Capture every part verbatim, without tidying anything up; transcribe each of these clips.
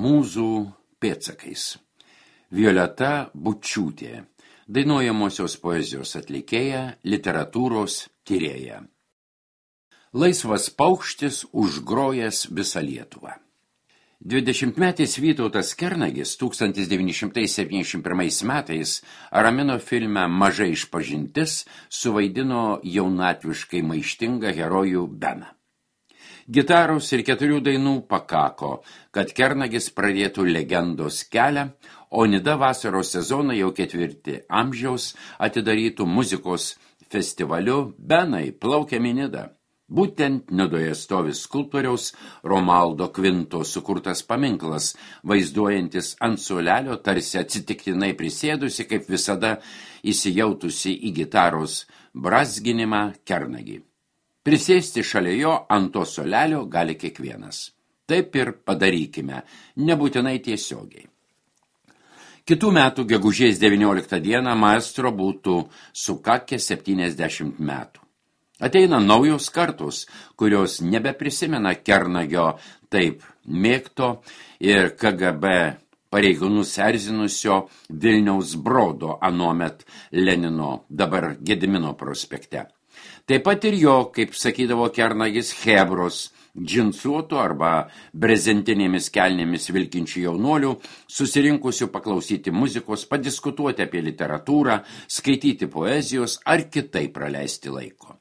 Mūzų pėdsakais. Violeta Bučiūtė, dainuojamosios poezijos atlikėja, literatūros tyrėja. Laisvas paukštis užgrojęs visą Lietuvą. Dvidešimtmetis Vytautas Kernagis tūkstantis devyni šimtai septyniasdešimt pirmais metais Aramino filme Maža išpažintis suvaidino jaunatviškai maištingą herojų Beną. Gitaros ir keturių dainų pakako, kad Kernagis pradėtų legendos kelią, o Nida vasaros sezoną jau ketvirtį amžiaus atidarytų muzikos festivaliu Benai plaukiam į Nidą. Būtent Nidoje stovi skulptoriaus Romaldo Kvinto sukurtas paminklas, vaizduojantis ant suolelio tarsi atsitiktinai prisėdusi, kaip visada įsijautusi į gitaros brazginimą Kernagį. Prisėsti šalia jo ant to suolelio gali kiekvienas. Taip ir padarykime, nebūtinai tiesiogiai. Kitų metų gegužės devynioliktą dieną maestro būtų sukakę septyniasdešimt metų. Ateina naujos kartos, kurios nebeprisimena Kernagio taip mėgto ir K G B pareigūnus erzinusio Vilniaus Brodo anuomet Lenino, dabar Gedimino prospekte. Taip pat ir jo, kaip sakydavo Kernagis, chebros, džinsuotų arba brezentinėmis kelnėmis vilkinčių jaunuolių, susirinkusių paklausyti muzikos, padiskutuoti apie literatūrą, skaityti poezijos ar kitaip praleisti laiko.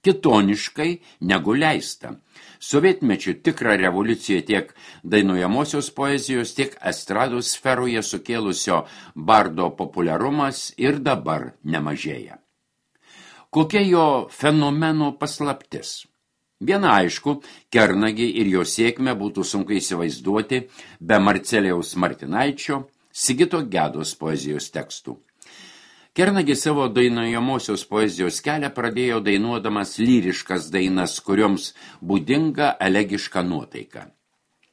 Kitoniškai negu leista. Sovietmečių tikrą revoliuciją tiek dainuojamosios poezijos, tiek estrados sferoje sukėlusio bardo populiarumas ir dabar nemažėja. Kokia jo fenomeno paslaptis? Viena aišku, Kernagį ir jo sėkmę būtų sunku įsivaizduoti be Marcelijaus Martinaičio, Sigito Gedos poezijos tekstų. Kernagis savo dainuojamosios poezijos kelią pradėjo dainuodamas lyriškas dainas, kurioms būdinga elegiška nuotaika.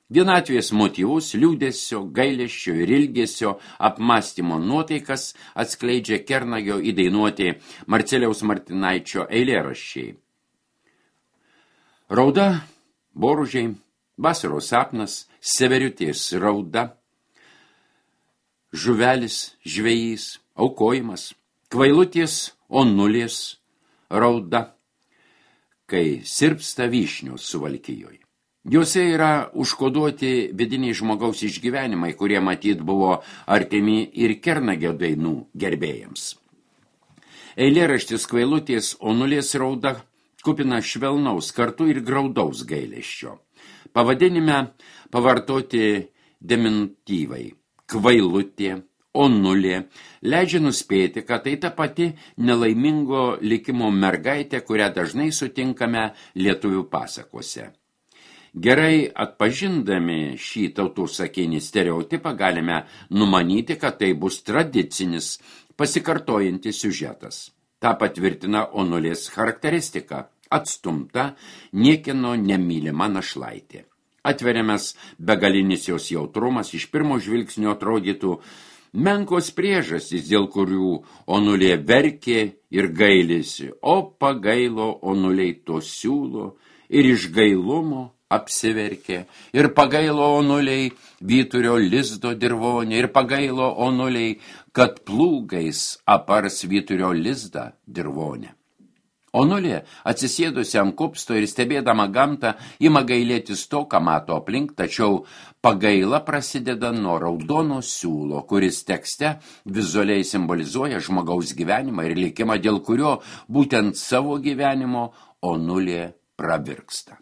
Vienatvės motyvus, liūdesio, gailesčio ir ilgesio apmąstymo nuotaikas atskleidžia Kernagio įdainuoti Marcelijaus Martinaičio eilėraščiai. Rauda, boružiai, vasaros sapnas, severiutės rauda, žuvelis, žvejys, aukojimas, kvailutės onulės rauda, kai sirpsta vyšnios Suvalkijoj. Juose yra užkoduoti vidiniai žmogaus išgyvenimai, kurie matyt buvo artimi ir Kernagio dainų gerbėjams. Eilėraštis kvailutės onulės rauda kupina švelnaus kartu ir graudaus gailesčio. Pavadinime pavartoti deminutyvai kvailutė, onulė, leidžia nuspėti, kad tai ta pati nelaimingo likimo mergaitė, kurią dažnai sutinkame lietuvių pasakose. Gerai atpažindami šį tautų sakinį stereotipą galime numanyti, kad tai bus tradicinis, pasikartojantis siužetas. Ta patvirtina onulės charakteristika – atstumta, niekieno nemylima našlaitė. Atveriamas begalinis jos jautrumas iš pirmo žvilgsnio atrodytų menkos priežastys, dėl kurių onulė verkė ir gailisi, o pagailo onuliai to siūlo ir iš gailumo apsiverkė, ir pagailo onuliai vyturio lizdo dirvonė, ir pagailo onuliai, kad plūgais apars vyturio lizdą dirvonę. Onulė, atsisėdusi ant kupsto ir stebėdama gamtą, ima gailėtis to, ką mato aplink, tačiau pagaila prasideda nuo raudono siūlo, kuris tekste vizualiai simbolizuoja žmogaus gyvenimą ir likimą, dėl kurio būtent savo gyvenimo onulė pravirksta.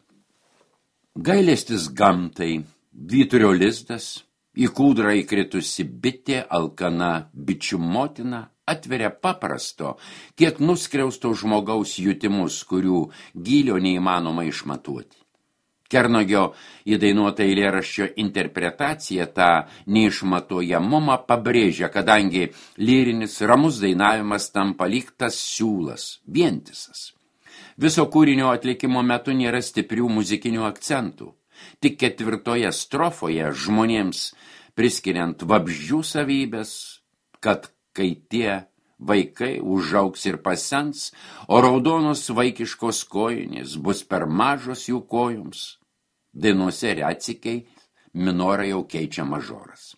Gailestis gamtai, vyturio lizdas, į kūdrą įkritusi bitė, alkana bičių motina, atveria paprasto, kiek nuskriausto žmogaus jutimus, kurių gylio neįmanoma išmatuoti. Kernagio įdainuota eilėraščio interpretacija tą neišmatuojamumą pabrėžia, kadangi lyrinis ramus dainavimas tampa lyg tas siūlas, vientisas. Viso kūrinio atlikimo metu nėra stiprių muzikinių akcentų. Tik ketvirtoje strofoje žmonėms priskiriant vabzdžių savybės, kad kai tie vaikai užaugs ir pasens, o raudonos vaikiškos kojinės bus per mažos jų kojoms. Dainuose retsykiai minorą jau keičia mažoras.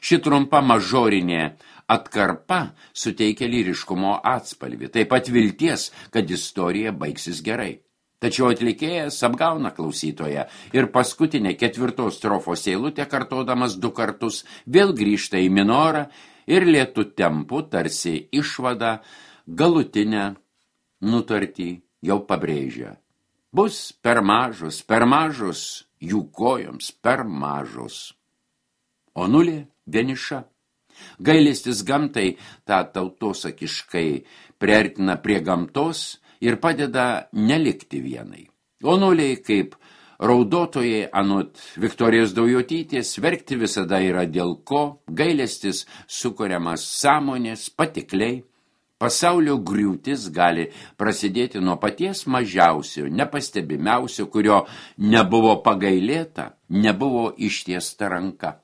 Ši trumpa mažorinė atkarpa suteikia lyriškumo atspalvį, taip pat vilties, kad istorija baigsis gerai. Tačiau atlikėjas apgauna klausytoją ir paskutinė ketvirtos strofos eilutė, kartodamas du kartus, vėl grįžta į minorą ir lėtu tempu tarsi išvada galutinę nutartį jau pabrėžia. Bus per mažos, per mažos, jų kojoms per mažos. O nulė vieniša. Gailestis gamtai tą tautosakiškai priartina prie gamtos ir padeda nelikti vienai. O nuliai, kaip raudotojai anot Viktorijos Daujotytės, verkti visada yra dėl ko, gailestis sukuriamas sąmonės patikliai. Pasaulio griūtis gali prasidėti nuo paties mažiausio, nepastebimiausio, kurio nebuvo pagailėta, nebuvo ištiesta ranka.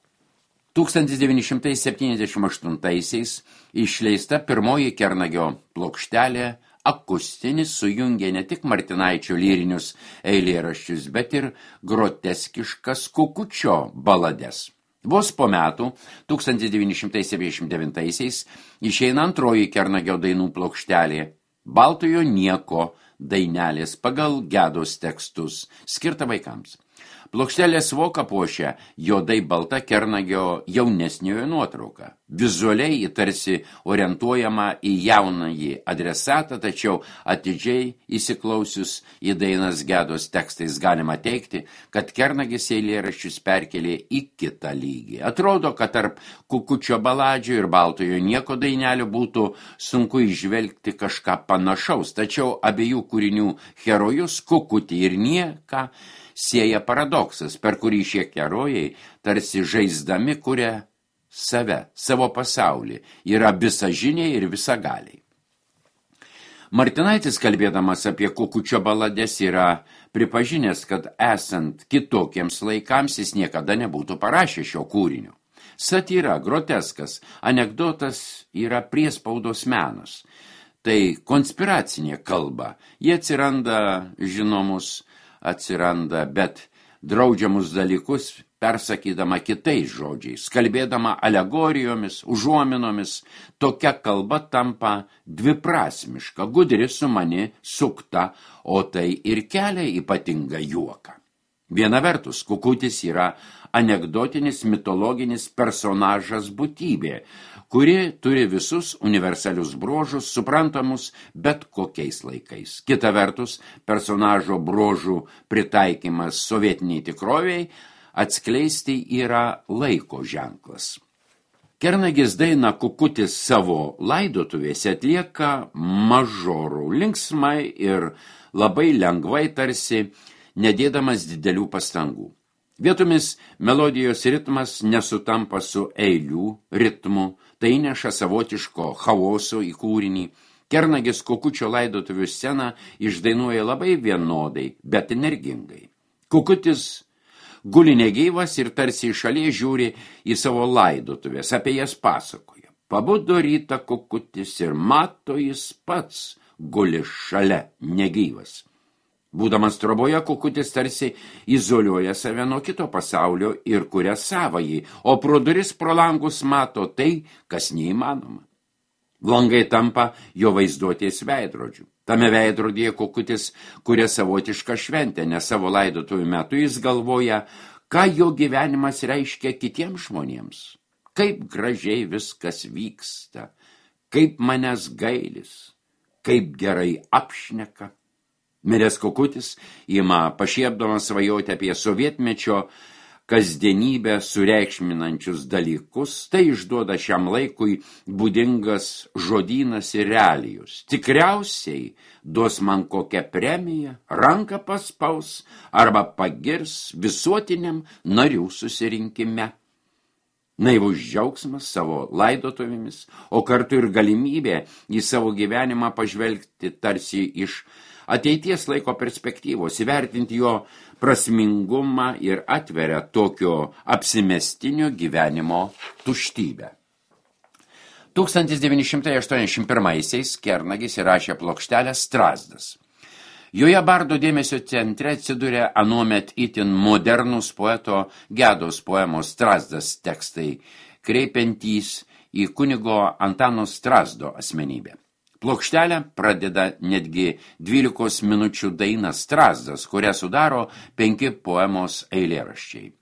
tūkstantis devyni šimtai septyniasdešimt aštuntaisiais išleista pirmoji Kernagio plokštelė akustinis sujungė ne tik Martinaičio lyrinius eilėraščius, bet ir groteskiškas Kukučio balades. Vos po metų, tūkstantis devyni šimtai septyniasdešimt devintaisiais, išeina antroji Kernagio dainų plokštelė Baltojo nieko dainelės pagal Gedos tekstus, skirta vaikams. Plokštelės voką puošia juodai balta Kernagio jaunesniojo nuotrauka. Vizualiai tarsi orientuojama į jaunąjį adresatą, tačiau atidžiai įsiklausius į dainas Gedos tekstais galima teikti, kad Kernagis eilėraščius perkelė į kitą lygį. Atrodo, kad tarp Kukučio baladžių ir Baltojo nieko dainelių būtų sunku įžvelgti kažką panašaus, tačiau abiejų kūrinių herojus Kukutį ir nieką sieja paradoksas, per kurį šie herojai tarsi žaisdami kuria save, savo pasaulį, yra visažiniai ir visagaliai. Martinaitis, kalbėdamas apie Kukučio balades, yra pripažinęs, kad esant kitokiems laikams jis niekada nebūtų parašęs šio kūrinio. Satyra, groteskas, anekdotas yra priespaudos menas. Tai konspiracinė kalba. Jie atsiranda žinomus atsiranda, bet draudžiamus dalykus persakydama kitais žodžiais, kalbėdama alegorijomis, užuominomis, tokia kalba tampa dviprasmiška, gudri, sumani, sukta, o tai ir kelia ypatingą juoką. Viena vertus, Kukutis yra anekdotinis mitologinis personažas būtybė, kuri turi visus universalius bruožus, suprantamus bet kokiais laikais. Kita vertus, personažo bruožų pritaikymas sovietiniai tikroviai atskleisti yra laiko ženklas. Kernagis dainą Kukutis savo laidotuvėse atlieka mažorų, linksmai ir labai lengvai, tarsi nedėdamas didelių pastangų. Vietomis melodijos ritmas nesutampa su eilių ritmu, tai neša savotiško chaoso į kūrinį. Kernagis Kukučio laidotuvių sceną išdainuoja labai vienodai, bet energingai. Kukutis guli negyvas ir tarsi iš šalies žiūri į savo laidotuvės, apie jas pasakoja. Pabudo rytą Kukutis ir mato jis pats guli šalia negyvas. Būdamas troboje, Kukutis tarsi izoliuoja save nuo kito pasaulio ir kuria savąjį, o pro duris pro langus mato tai, kas neįmanoma. Langai tampa jo vaizduotės veidrodžiu. Tame veidrodyje Kukutis kuria savotišką šventę, nes savo laidotuvių metu jis galvoja, ką jo gyvenimas reiškia kitiems žmonėms. Kaip gražiai viskas vyksta, kaip manęs gailis, kaip gerai apšneka. Miręs Kukutis ima pašiepdamas svajoti apie sovietmečio kasdienybę sureikšminančius dalykus, tai išduoda šiam laikui būdingas žodynas ir realijus. Tikriausiai duos man kokią premiją, ranką paspaus arba pagirs visuotiniam narių susirinkime. Naivus džiaugsmas savo laidotuvėmis, o kartu ir galimybė į savo gyvenimą pažvelgti tarsi iš ateities laiko perspektyvos, įvertinti jo prasmingumą ir atveria tokio apsimestinio gyvenimo tuštybę. tūkstantis devyni šimtai aštuoniasdešimt pirmaisiais Kernagis įrašė plokštelę Strazdas. Joje bardo dėmesio centre atsiduria anuomet itin modernus poeto Gedos poemos Strazdas tekstai, kreipiantys į kunigo Antano Strazdo asmenybę. Plokštelę pradeda netgi dvylikos minučių daina Strazdas, kurią sudaro penki poemos eilėraščiai.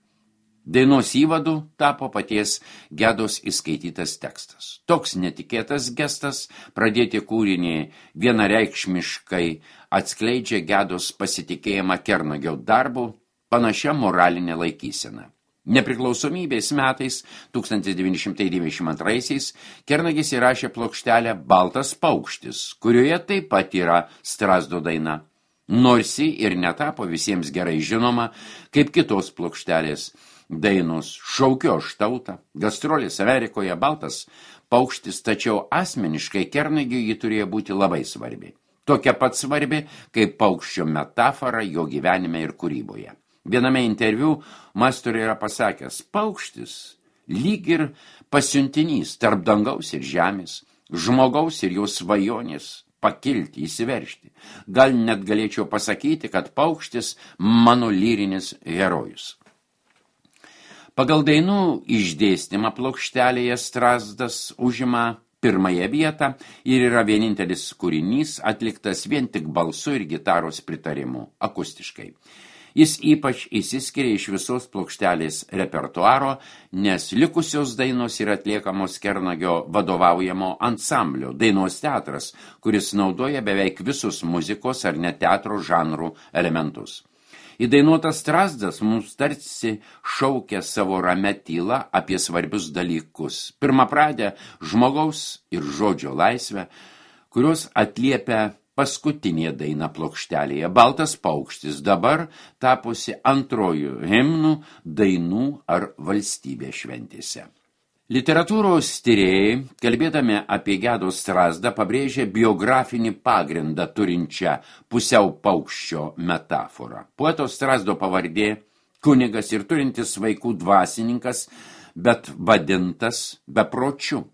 Dainos įvadu tapo paties Gedos įskaitytas tekstas. Toks netikėtas gestas pradėti kūrinį vienareikšmiškai atskleidžia Gedos pasitikėjimą Kernagio darbu, panašia moralinė laikysena. Nepriklausomybės metais tūkstantis devyni šimtai devyniasdešimt antraisiais Kernagis įrašė plokštelę Baltas paukštis, kurioje taip pat yra Strazdo daina, nors ji ir netapo visiems gerai žinoma, kaip kitos plokštelės dainos Šaukiu aš tautą, Gastrolės Amerikoje, Baltas paukštis, tačiau asmeniškai Kernagiui ji turėjo būti labai svarbi. Tokia pat svarbi, kaip paukščio metafora jo gyvenime ir kūryboje. Viename interviu Mastori yra pasakęs, paukštis lyg ir pasiuntinys tarp dangaus ir žemės, žmogaus ir jo svajonės pakilti, įsiveržti. Gal net galėčiau pasakyti, kad paukštis mano lyrinis herojus. Pagal dainų išdėstymą plokštelėje Strazdas užima pirmąją vietą ir yra vienintelis kūrinys atliktas vien tik balsu ir gitaros pritarimu, akustiškai. Jis ypač įsiskiria iš visos plokštelės repertuaro, nes likusios dainos yra atliekamos Kernagio vadovaujamo ansamblio Dainos teatras, kuris naudoja beveik visus muzikos ar net teatro žanrų elementus. Įdainuotas Strazdas mums tarsi šaukia savo ramę tylą apie svarbius dalykus. Pirmapradę žmogaus ir žodžio laisvę, kurios atliepia paskutinė daina plokštelėje Baltas paukštis, dabar tapusi antrojų himnų, dainų ar valstybės šventėse. Literatūros tyrėjai, kalbėdami apie Gedos Strazdą, pabrėžė biografinį pagrindą turinčią pusiau paukščio metaforą. Poeto Strazdo pavardė kunigas ir turintis vaikų dvasininkas, bet vadintas bepročiu.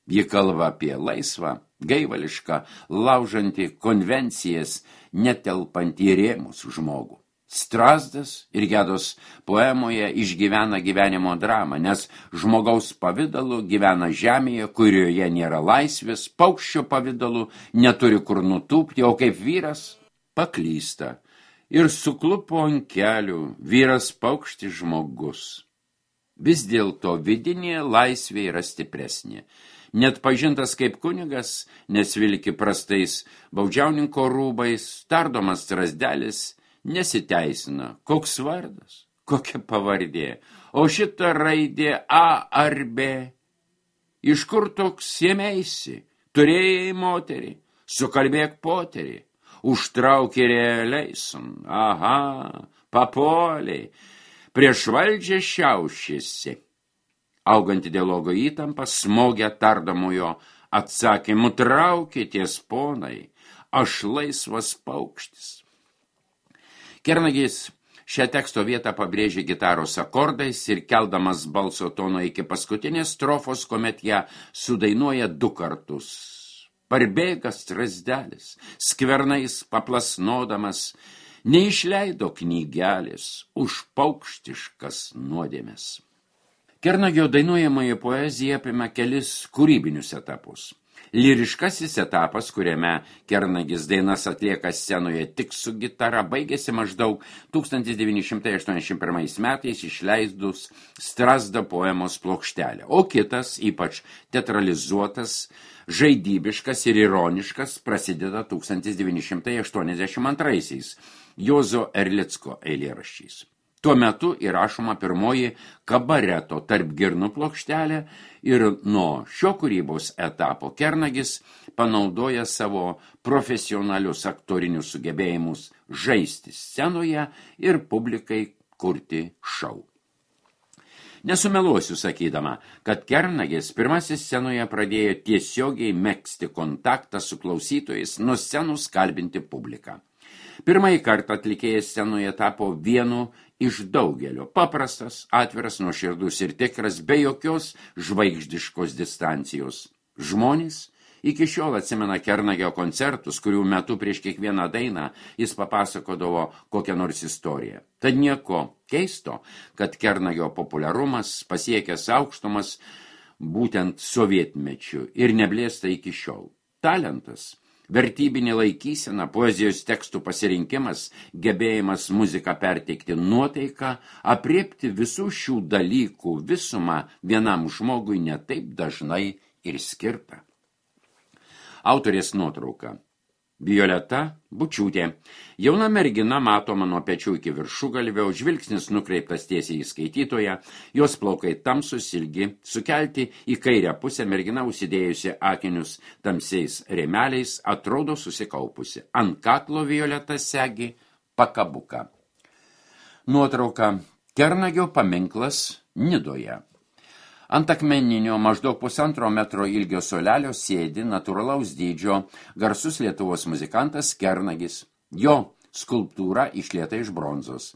Ji kalba apie laisvą, gaivališką, laužantį konvencijas, netelpantį rėmus žmogų. Strazdas ir Gedos poemoje išgyvena gyvenimo dramą, nes žmogaus pavidalu gyvena žemėje, kurioje nėra laisvės, paukščio pavidalu neturi kur nutūpti, o kaip vyras paklysta ir suklupo ant kelių vyras paukštis žmogus. Vis dėlto vidinė laisvė yra stipresnė. Net pažintas kaip kunigas, nes vilki prastais baudžiauninko rūbais, tardomas Strazdelis nesiteisina. Koks vardas, kokia pavardė, o šita raidė A ar B. Iš kur toks ėmeisi, turėjai moterį, sukalbėk poterį, užtraukė realiaisun, aha, papoliai, prieš valdžią šiaušėsi. Auganti dialogo įtampa smogia tardomojo atsakymu, traukitės ponai, aš laisvas paukštis. Kernagis šią teksto vietą pabrėžė gitaros akordais ir keldamas balso tono iki paskutinės strofos, kuomet ją sudainuoja du kartus. Parbėga Strazdelis, skvernais paplasnodamas, neišleido knygelės už paukštiškas nuodėmes. Kernagio dainuojamoji poezija apima kelis kūrybinius etapus. Lyriškasis etapas, kuriame Kernagis dainas atlieka scenoje tik su gitara, baigėsi maždaug tūkstantis devyni šimtai aštuoniasdešimt pirmais metais išleidus Strazdo poemos plokštelę, o kitas, ypač teatralizuotas, žaidybiškas ir ironiškas, prasideda tūkstantis devyni šimtai aštuoniasdešimt antraisiais Juozo Erlicko eilėraščiais. Tuo metu įrašoma pirmoji kabareto tarp girnų plokštelė ir nuo šio kūrybos etapo Kernagis panaudoja savo profesionalius aktorinius sugebėjimus žaisti scenoje ir publikai kurti šou. Nesumeluosiu sakydama, kad Kernagis pirmasis scenoje pradėjo tiesiogiai megzti kontaktą su klausytojais, nuo scenos kalbinti publiką. Pirmąjį kartą atlikėjas scenoje tapo vienu iš daugelio, paprastas, atviras, nuoširdus ir tikras, be jokios žvaigždiškos distancijos. Žmonės Iki šiol atsimena Kernagio koncertus, kurių metu prieš kiekvieną dainą jis papasakodavo kokią nors istoriją. Tad nieko keisto, kad Kernagio populiarumas pasiekęs aukštumas būtent sovietmečiu ir neblėsta iki šiol. Talentas, vertybinė laikysena, poezijos tekstų pasirinkimas, gebėjimas muziką perteikti nuotaiką, apriepti visų šių dalykų visumą vienam žmogui netaip dažnai ir skirta. Autorės nuotrauka. Violeta Bučiūtė. Jauna mergina matoma nuo pečių iki viršugalvio, žvilgsnis nukreiptas tiesiai į skaitytoją, jos plaukai tamsus ilgi, sukelti į kairę pusę mergina užsidėjusi akinius tamsiais rėmeliais, atrodo susikaupusi. Ant kaklo Violeta segi pakabuką. Nuotrauka. Kernagio paminklas Nidoje. Ant akmeninio maždaug pusantro metro ilgio suolelio sėdi natūralaus dydžio garsus Lietuvos muzikantas Kernagis. Jo skulptūra išlieta iš bronzos.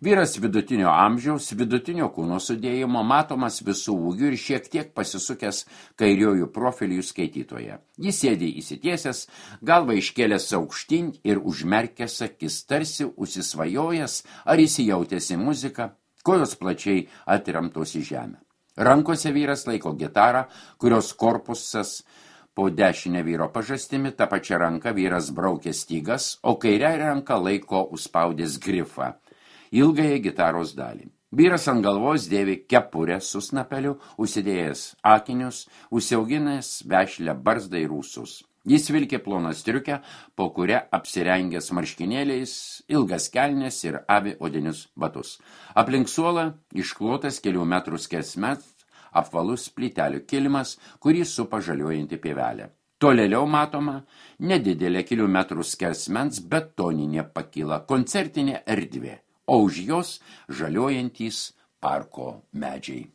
Vyras vidutinio amžiaus, vidutinio kūno sudėjimo, matomas visų ūgių ir šiek tiek pasisukęs kairiojų profilių skaitytoje. Jis sėdi įsitiesęs, galva iškėlęs aukštyn ir užmerkęs akis, tarsi užsisvajojęs ar įsijautęs į muziką, kojos plačiai atremtos į žemę. Rankose vyras laiko gitarą, kurios korpusas po dešinę vyro pažastimi, tą pačią ranką vyras braukė stygas, o kairę ranką laiko užspaudęs grifą, ilgąją gitaros dalį. Vyras ant galvos dėvi kepurę su snapeliu, užsidėjęs akinius, užsiauginęs vešlią barzdą ir ūsus. Jis vilkė ploną striukę, po kuria apsirengęs marškinėliais, ilgas kelnes ir avi odinius batus. Aplink suolą išklotas kelių metrų skersmens apvalus plytelių kilimas, kurį supa žaliuojanti pievelė. Tolėliau matoma nedidelė kelių metrų skersmens betoninė pakyla, koncertinė erdvė, o už jos žaliuojantys parko medžiai.